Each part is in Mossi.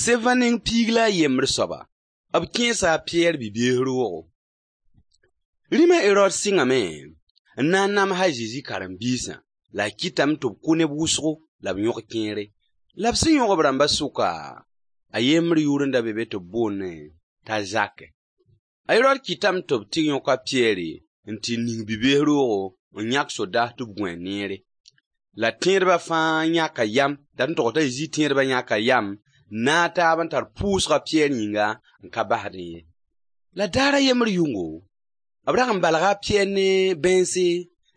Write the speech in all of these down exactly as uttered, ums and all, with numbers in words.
Sevã neng piig la a yembr soaba, b kẽesa a Piyɛr bi-bees roogo. Rĩm a Erod sɩngame n na n nams a Zezi karen-biisã, la a kɩtame tɩ b kʋ neb wʋsgo la b yõg kẽere. La b sẽn yõg b rãmbã sʋka, a yembr yʋʋr n da be be tɩ b boondẽ t'a Zak. A Erod kɩtame tɩ b tɩ yõk a Piyɛr n tɩ ning bi-bees roogo n yãk sodaas tɩ b gũ a neere. La tẽedbã fãa yãka yam, dat n togs t'a Zezi tẽedbã yãka yam n naag taab n tar pʋʋsg a Piyɛr yĩnga n ka basdẽ ye. La daar a yembr yʋngo, b rag n balga a Piyɛr ne bãense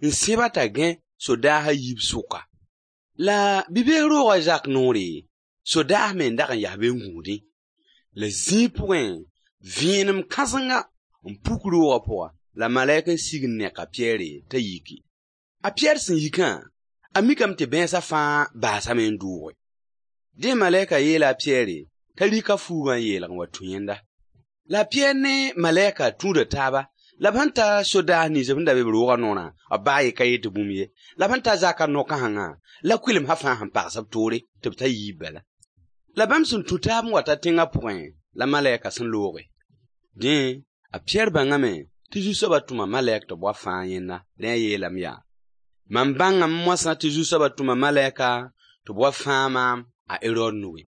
n sẽb-a t'a gãe sodaas a yiib sʋka. La bi-bees roog a Zak noore, sodaas me n dag n yas be n gũudẽ. La zĩig pʋgẽ, vẽenem kãsenga n puk roogã pʋga, la malɛk n sig n nek a Piyɛr t'a yiki. A Piyɛr sẽn yikã, a mikame tɩ bãensã fãa baasame n dooge. Dẽ malɛka yeela a Piyɛr t'a rɩk a fuugã n yeelg n wa tũ yẽnda. La a Piyɛr ne malɛka tũuda taaba, la b sẽn ta sodaas nins b sẽn da be b roogã noorã, b baa ye ka yet tɩ bũmb ye. La b sẽn ta Zakã no-kãsengã, la kʋɩlemsã fãa sẽn pags b toore tɩ b ta yiib bala. La bãmb sẽn tũ taab n wa ta tẽngã pʋgẽ, la malɛka sẽn looge. Dẽ, a Piyɛr bãngame tɩ Zu-soabã tʋma malɛk tɩ b wa fãag yẽnda. Rẽ a yeelame yaa: Mam bãngame moasã tɩ Zu-soabã tʋma malɛka tɩ b wa fãag maam a Erod nugẽ.